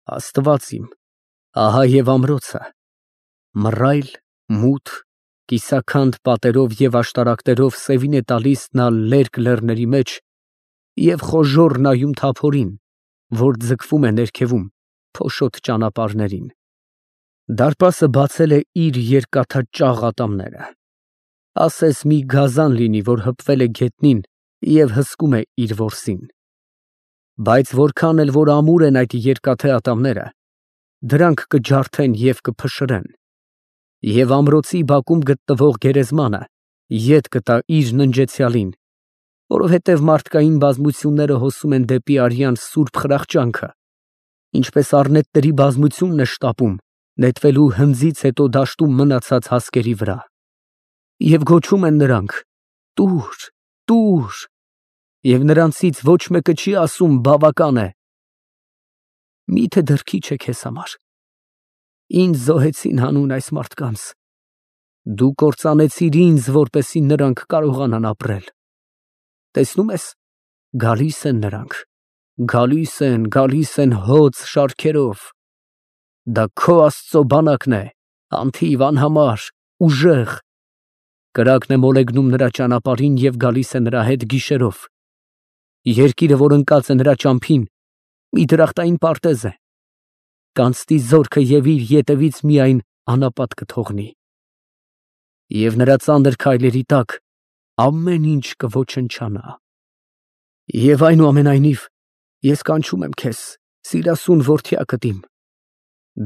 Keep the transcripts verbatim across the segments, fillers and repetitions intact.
Աստված իմ, ահա և ամրոցը, մռայլ, մութ, կիսաքանդ պատերով և աշտարակներով սևին է տալիս նա լերկ լեռների մեջ և խոժոռ նայում թափորին, որ ձգվում է ներքևում, փոշոտ ճանապարհներին. դարպասը բացել է իր երկաթաճաղ ատամները, ասես մի գազան լինի, որ հպվել է գետնին և հսկում է իր որսին. բայց որքան էլ որ ամուր են այդ երկաթե ատամները, դրանք կջարդեն և կփշրեն, և ամրոցի բակում գտնվող գերեզմանը ետ կտա իր ննջեցյալին, որովհետև մարդկային բազմությունները հոսում են դեպի արյան սուրբ խրախճանքը, ինչպես առնետների բազմությունն է շտապում նետվելու հնձից հետո դաշտում մնացած հասկերի վրա, և գոչում են նրանք. «Տուր, տուր», և նրանցից ոչ մեկը չի ասում. «Բավական է»։ Մի՞թե դեռ քիչ է քեզ համար։ Ինձ զոհեցին հանուն այս մարդկանց, դու կործանեցիր ինձ, որպեսզի նրանք կարողանան ապրել։ Տեսնո՞ւմ ես, գալիս են նրանք, գալիս են, գալիս են հոծ շարքերով, դա քո Աստծո բանակն է, անթիվ, անհամար, ուժեղ, կրակն է մոլեգնում նրա ճանապարհին և գալիս է նրա հետ գիշերով, երկիրը, որ ընկած է նրա ճամփին, մի դրախտային պարտեզ է, կանցնի զորքը և իր ետևից միայն անապատ կթողնի, և նրա ծանր քայլերի տակ ամեն ինչ կոչնչանա։ Եվ այնուամենայնիվ, ես կանչում եմ քեզ, սիրասուն որդյակդ իմ,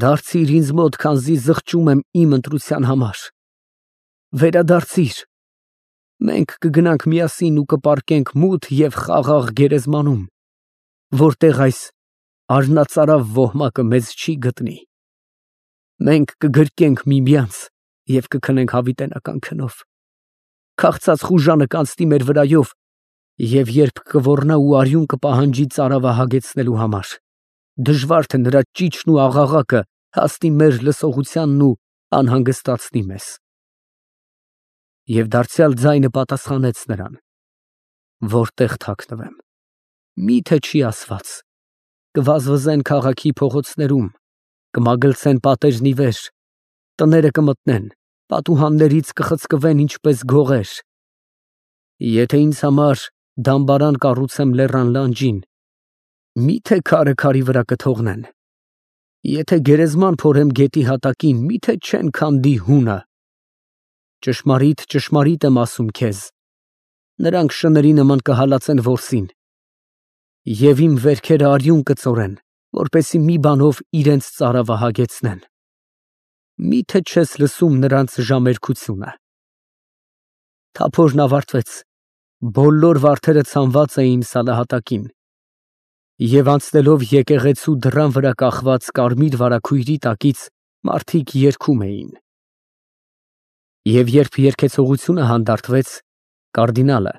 դարձիր ինձ մոտ, քանզի զղջում եմ իմ ընտրության համար, վերադարձիր, մենք կգնանք միասին ու կպառկենք մութ և խաղաղ գերեզմանում, որտեղ այս արհնածարավ ոհմակը մեզ չի գտնի, մենք կգրկենք միմյանց և կքնենք հավիտենական քնով, քաղցած խուժանը կանցնի մեր վրայով, և երբ կոռնա ու արյուն կպահանջի ծարավը հագեցնելու համար, դժվար թե նրա ճիչն ու աղաղակը հասնի մեր լսողությանն ու անհանգստացնի մեզ։ Եվ դարձյալ ձայնը պատասխանեց նրան. որտեղ թաքնվեմ, մի՞թե չի ասված. կվազվզեն քաղաքի փողոցներում, կմագլցեն պատերն ի վեր, տները կմտնեն, պատուհաններից կխցկվեն ինչպես գողեր։ Եթե ինձ համար դամբարան կառուցեմ լեռան լանջին, մի՞թե քարը քարի վրա կթողնեն, եթե գերեզման փորեմ գետի հատակին, մի՞թե չեն քանդի հունը։ Ճշմարիտ, ճշմարիտ եմ ասում քեզ, նրանք շների նման կհալածեն որսին, և իմ վերքերը արյուն կծորեն, որպեսզի մի բանով իրենց ծարավը հագեցնեն։ Մի՞թե չես լսում նրանց ժամերկությունը։ Թափորն ավարտվեց, բոլոր վարդերը ցանված էին սալահատակին, և անցնելով եկեղեցու դռան վրա կախված կարմիր վարագույրի տակից մարդիկ երգում էին։ Եվ երբ երգեցողությունը հանդարտվեց, կարդինալը,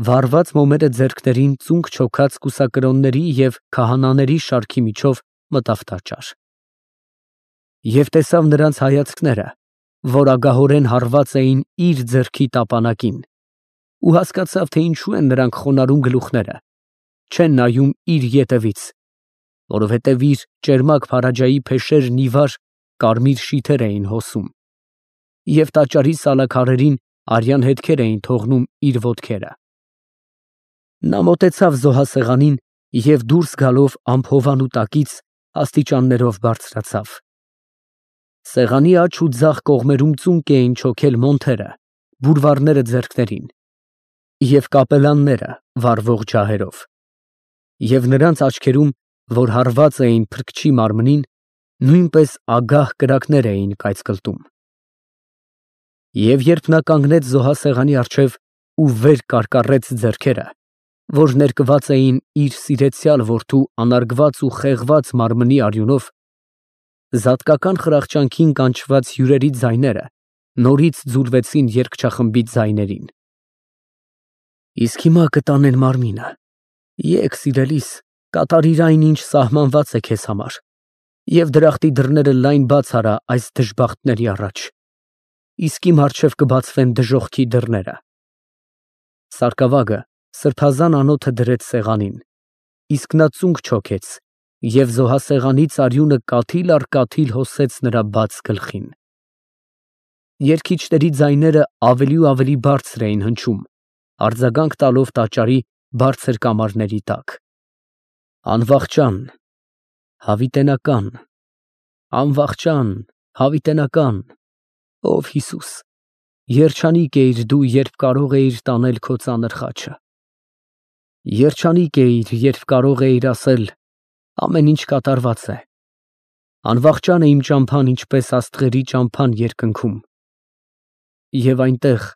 վառված մոմերը ձեռքներին, ծունկ չոքած կուսակրոնների և քահանաների շարքի միջով մտավ տաճար։ Եվ տեսավ նրանց հայացքները, որ ագահորեն հառված էին իր ձեռքի տապանակին, ու հասկացավ, թե ինչու են նրանք խոնարհում գլուխները, չեն նայում իր ետևից, որովհետև իր ճերմակ փարաջայի փեշերն ի վար կարմիր շիթեր էին հոսում, և տաճարի սալաքարերին արյան հետքեր էին թողնում իր ոտքերը։ Նա մոտեցավ զոհասեղանին և դուրս գալով ամփոփանու տակից աստիճաններով բարձրացավ։ Սեղանի աջ ու ձախ կողմերում ծունկ էին չոքել մոնթերը, բուրվառները ձեռքներին և կապելանները վառվող ջահերով, և նրանց աչքերում, որ հարված էին փրկչի մարմնին, նույնպես ագահ կրակներ էին կայծկլտում։ Եվ երբ նա կանգնեց զոհասեղանի առջև ու վեր կարկառեց ձեռքերը, որ ներկված էին իր սիրեցյալ որդու անարգված ու խեղված մարմնի արյունով, զատկական խրախճանքին կանչված հյուրերի ձայները նորից ձուլվեցին երգչախմբի ձայներին։ Իսկ հիմա կտանեն մարմինը, եկ, սիրելիս, կատարիր այն, ինչ սահմանված է քեզ համար, և դրախտի դռները լայն բաց արա այս դժբախտների առաջ, իսկ իմ առջև կբացվեն դժոխքի դռները։ Սարկավագը սրբազան անոթը դրեց սեղանին, իսկ նա ծունկ չոքեց Եվ զոհասեղանից արյունը կաթիլ առ կաթիլ հոսեց նրա բաց գլխին։ Երգիչների ձայները ավելի ու ավելի բարձր էին հնչում, արձագանք տալով տաճարի բարձր կամարների տակ։ Անվախճան, հավիտենական, անվախճան, հավիտենական, ով Հիսուս, երջանիկ էիր դու, երբ կարող էիր տանել քո ծանր խաչը։ Երջանիկ էիր, երբ կարող էիր ասել. ամեն ինչ կատարված է։ Անվախճան է իմ ճամփան, ինչպես աստղերի ճամփան երկնքում։ Եվ այնտեղ,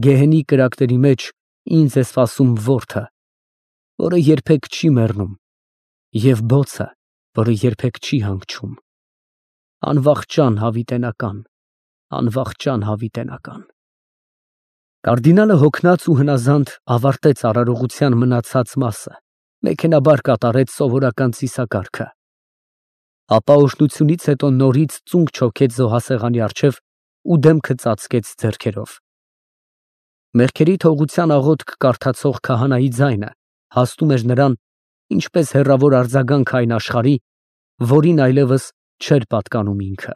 գեհենի կրակների մեջ, ինձ է սպասում որդը, որը երբեք չի մեռնում, և բոցը, որը երբեք չի հանգչում։ Անվախճան հավիտենական, անվախճան հավիտենական։ Կարդինալը հոգնած ու հնազանդ ավարտեց արարողության մնացած մասը, մեքենաբար կատարեց սովորական ծիսակարգը։ Ապա օրհնությունից հետո նորից ծունկ չոքեց զոհասեղանի առջև ու դեմքը ծածկեց ձեռքերով։ Մեղքերի թողության աղոթք կարդացող քահանայի ձայնը հասնում էր նրան, ինչպես հեռավոր արձագանք այն աշխարհի, որին այլևս չէր պատկանում ինքը։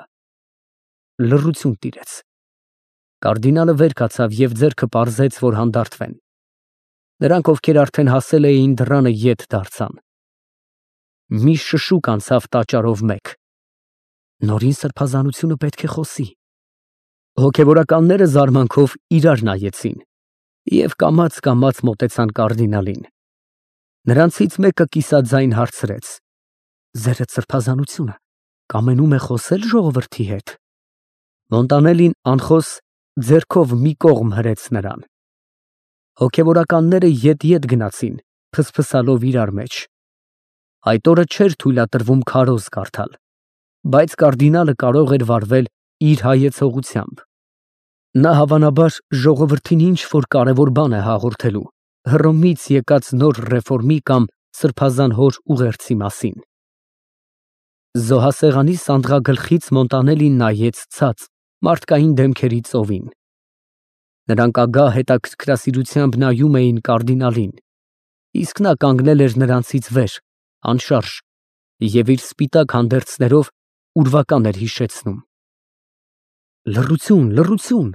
Լռություն տիրեց։ Կարդինալը վեր կացավ և ձեռքը պարզեց, որ հանդարտվեն։ Նրանք, ովքեր արդեն հասել էին դռանը, ետ դարձան։ Մի շշուկ անցավ տաճարով մեկ։ Նորին սրբազանությունը պետք է խոսի։ Հոգևորականները զարմանքով իրար նայեցին և կամաց-կամաց մոտեցան կարդինալին։ Նրանցից մեկը կիսաձայն հարցրեց. «Ձերդ սրբազանությունը կամենում է խոսել ժողովրդի հետ»։ Մոնտանելին անխոս ձեռքով մի կողմ հրեց նրան։ Հոգևորականները ետ-ետ գնացին, փսփսալով իրար մեջ։ Այդ օրը չէր թույլատրվում քարոզ կարդալ, բայց կարդինալը կարող էր վարվել իր հայեցողությամբ։ Նա հավանաբար ժողովրդին ինչ-որ կարևոր բան է հաղորդելու Հռոմից եկած նոր ռեֆորմի կամ սրբազան հոր ուղերձի մասին։ Զոհասեղանի սանդղագլխից Մոնտանելին նայեց ցած մարդկային դեմքերի ծովին։ Նրանք ագահ հետաքրքրասիրությամբ նայում էին կարդինալին, իսկ նա կանգնել էր նրանցից վեր, անշարժ, և իր սպիտակ հանդերձներով ուրվական էր հիշեցնում։ Լռություն, լռություն,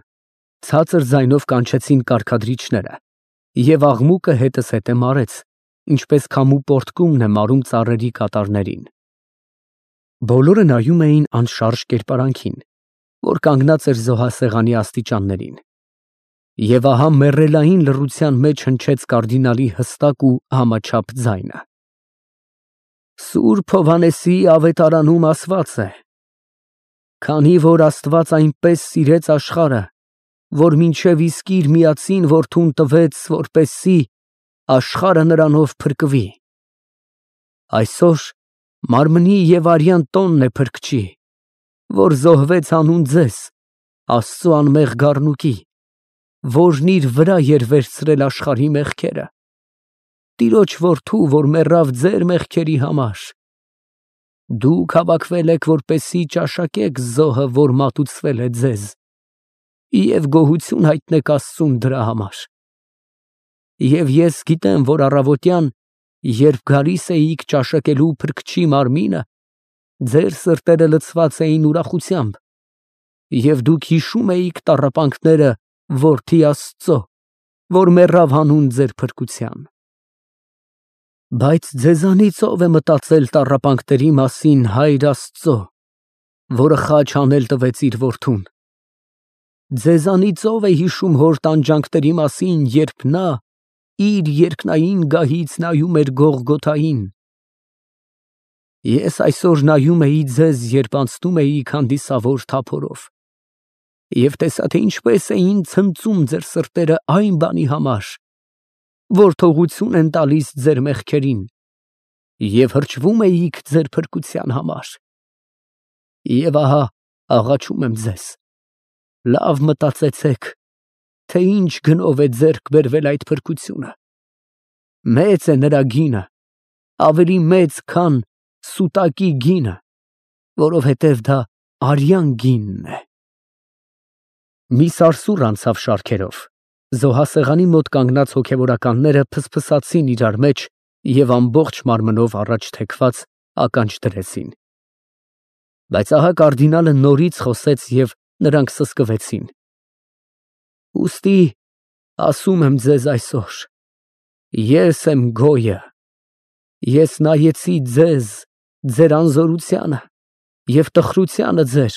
ցածր ձայնով կանչեցին կարգադրիչները, և աղմուկը հետս հետե մարեց, ինչպես քամու պոռթկումն է մարում ծառերի կատարներին։ Բոլորը նայում էին անշարժ կերպարանքին, որ կանգնած էր զոհասեղանի աստիճաններին։ Եվ ահա մեռելային լռության մեջ հնչեց կարդինալի հստակ ու համաչափ ձայնը. Սուրբ Հովհաննեսի ավետարանում ասված է. «Քանի որ Աստված այնպես սիրեց աշխարհը, որ մինչև իսկ իր միածին որդուն տվեց, որպեսզի աշխարհը նրանով փրկվի»։ Այսօր մարմնի և արյան տոնն է Փրկչի, որ զոհվեց հանուն ձեզ, Աստծու անմեղ գառնուկի, որն իր վրա էր վերցրել աշխարհի մեղքերը, Տիրոջ որդու, որ մեռավ ձեր մեղքերի համար։ Դուք հավաքվել եք, որպեսզի ճաշակեք զոհը, որ մատուցվել է ձեզ, և գոհություն հայտնեք Աստծուն դրա համար։ Եվ ես գիտեմ, որ առավոտյան, երբ գալիս էիք ճաշակելու Փրկչի մարմինը, ձեր սրտերը լցված էին ուրախությամբ, և դուք հիշում էիք տառապանքները Որդի Աստծո, որ մեռավ հանուն ձեր փրկության։ Բայց ձեզանից ո՞վ է մտածել տառապանքների մասին Հայր Աստծո, որը խաչ հանել տվեց իր որդուն։ Ձեզանից ո՞վ է հիշում հոր տանջանքների մասին, երբ նա իր երկնային գահից նայում էր Գողգոթային։ Ես այսօր նայում էի ձեզ, երբ անցնում էիք հանդիսավոր թափորով, և տեսա, թե ինչպես էին ցնծում ձեր սրտերը այն բանի համար, որ թողություն են տալիս ձեր մեղքերին, և հրճվում էիք ձեր փրկության համար։ Եվ ահա աղաչում եմ ձեզ, լավ մտածեցեք, թե ինչ գնով է ձեռք բերվել այդ փրկությունը։ Մեծ է նրա գինը, ավելի մեծ, քան սուտակի գինը, որովհետև դա արյան գինն է։ Մի սարսուռ անցավ շարքերով։ Զոհասեղանի մոտ կանգնած հոգևորականները փսփսացին իրար մեջ և ամբողջ մարմնով առաջ թեքված ականջ դրեցին։ Բայց ահա կարդինալը նորից խոսեց և նրանք սսկվեցին։ Ուստի ասում եմ ձեզ այսօր. ես եմ գոյը, ես նայեցի ձեզ, ձեր անզորությանը և տխրությանը ձեր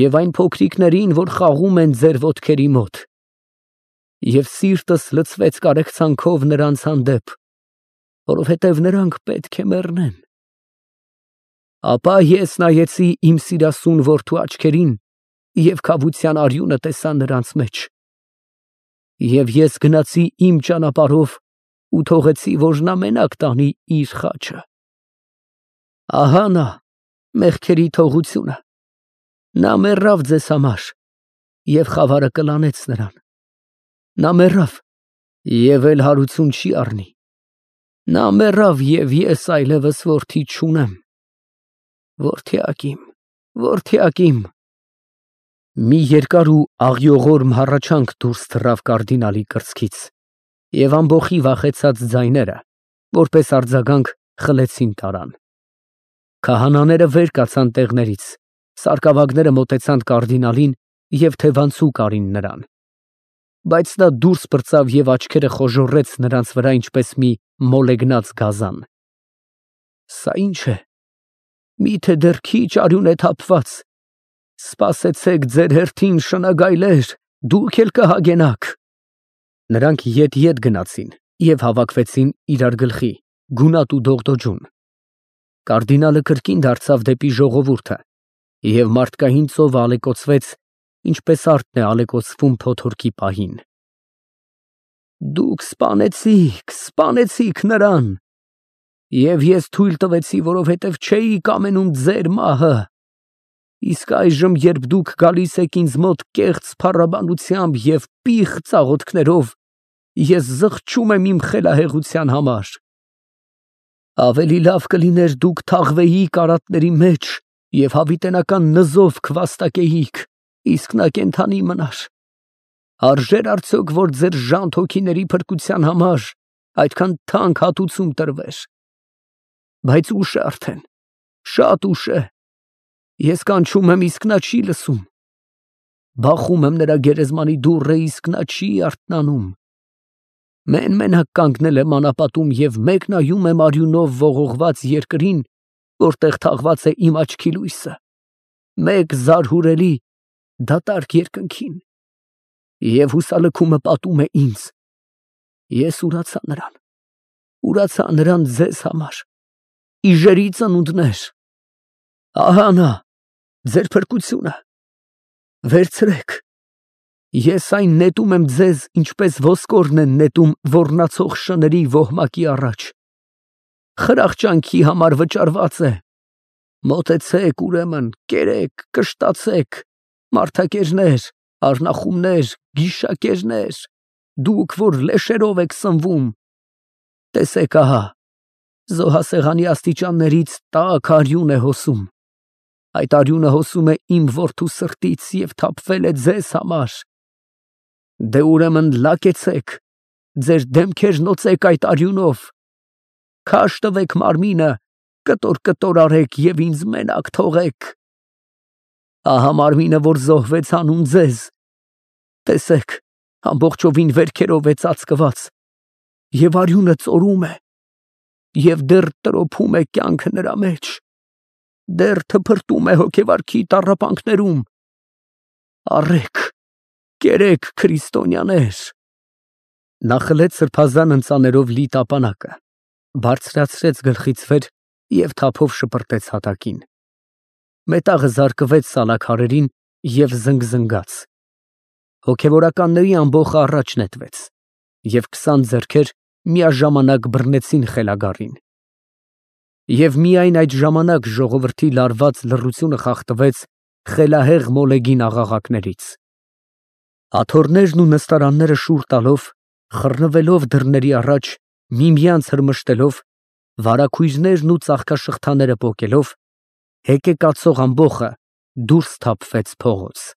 և այն փոքրիկներին, որ խաղում են ձեր ոտքերի մոտ, և սիրտս լցվեց կարեկցանքով նրանց հանդեպ, որովհետև նրանք պետք է մեռնեն։ Ապա ես նայեցի իմ սիրասուն որդու աչքերին և քավության արյունը տեսա նրանց մեջ։ Եվ ես գնացի իմ ճանապարհով ու թողեցի, որ նա մենակ տանի իր խաչը։ Ահա նա, մեղքերի թողությունը, նա մեռավ ձեզ համար, և խավարը կլանեց նրան։ Նա մեռավ և էլ հարություն չի առնի։ Նա մեռավ, և ես այլևս որդի չունեմ։ Որդյակ իմ, որդյակ իմ։ Մի երկար ու աղյողորմ հառաչանք դուրս թռավ կարդինալի կրծքից, և ամբոխի վախեցած ձայները, որպես արձագանք, խլեցին տարան։ Քահանաները վեր կացան տեղներից, սարկավագները մոտեցան կարդինալին և թևանցուկ արին նրան։ Բայց նա դուրս պրծավ և աչքերը խոժոռեց նրանց վրա, ինչպես մի մոլեգնած գազան։ Սա ի՞նչ է, մի՞թե դեռ քիչ արյուն է թափված։ Սպասեցեք ձեր հերթին, շնագայլեր, դուք էլ կհագենաք։ Նրանք ետ֊ետ գնացին և հավաքվեցին իրար գլխի, գունատ ու դողդոջուն։ Կարդինալը կրկին դարձավ դեպի ժողովուրդը, և մարդկային ծովը ալեկոծվեց, ինչպես արդն է ալեկոծվում փոթորկի պահին։ Դուք սպանեցիք, սպանեցիք նրան, և ես թույլ տվեցի, որովհետև չէի կամենում ձեր մահը։ Իսկ այժմ, երբ դուք գալիս եք ինձ մոտ կեղծ փառաբանությամբ և պիղծ աղոթքներով, ես զղջում եմ իմ խելահեղության համար։ Ավելի լավ կլիներ դուք թաղվեիք արատների մեջ և հավիտենական նզով քվաստակեիք, իսկ նա կենդանի մնար։ Արժե՞ր արդյոք, որ ձեր ժանտ հոգիների փրկության համար այդքան թանկ հատուցում տրվեր։ Բայց ուշ է արդեն, շատ ուշ է։ Ես կանչում եմ, իսկ նա չի լսում։ Բախում եմ նրա գերեզմանի դուռը, իսկ նա չի արթնանում։ Մեն֊մենակ կանգնել եմ անապատում և մեկ նայում եմ արյունով ողողված երկրին, որտեղ թաղված է իմ աչքի լույսը, մեկ զարհուրելի, դատարկ երկնքին, և հուսալքումը պատում է ինձ. ես ուրացա նրան, ուրացա նրան ձեզ համար, իժերի ծնունդներ։ Ահա նա, ձեր փրկությունը, վերցրեք, ես այն նետում եմ ձեզ, ինչպես ոսկորն են նետում ոռնացող շների ոհմակի առաջ։ Խրախճանքի համար վճարված է։ Մոտեցեք, ուրեմն, կերեք, կշտացեք, մարդակերներ, առնախումներ, գիշակերներ, դուք, որ լեշերով եք սնվում, տեսեք, ահա, զոհասեղանի աստիճաններից տաք արյուն է հոսում։ Այդ արյունը հոսում է իմ որդու սրտից և թափվել է ձեզ համար։ Դե ուրեմն լակեցեք, ձեր դեմքերն օծեք այդ արյունով, քաշ տվեք մարմինը, կտոր֊կտոր արեք և ինձ մենակ թողեք։ Ահա մարմինը, որ զոհվեց հանուն ձեզ, տեսեք, ամբողջովին վերքերով է ծածկված, և արյունը ծորում է, և դեռ տրոփում է կյանքը նրա մեջ, դեռ թփրտում է հոգեվարքի տառապանքներում։ Առեք, կերեք, քրիստոնյաներ։ Նա խլեց սրբազան ընծաներով լի տապանակը, բարձրացրեց գլխից վեր և թափով շպրտեց հատակին։ Մետաղը զարկվեց սալաքարերին և զնգզնգաց։ Հոգևորականների ամբոխը առաջ նետվեց, և քսան ձեռքեր միաժամանակ բռնեցին խելագարին։ Եվ միայն այդ ժամանակ ժողովրդի լարված լռությունը խախտվեց խելահեղ մոլեգին աղաղակներից։ Աթոռներն ու նստարանները շուռ տալով, խռնվելով դռների առաջ, միմյանց հրմշտելով, վարագույրներն ու ծաղկաշղթաները պոկելով, հեկեկացող ամբոխը դուրս թափվեց փողոց։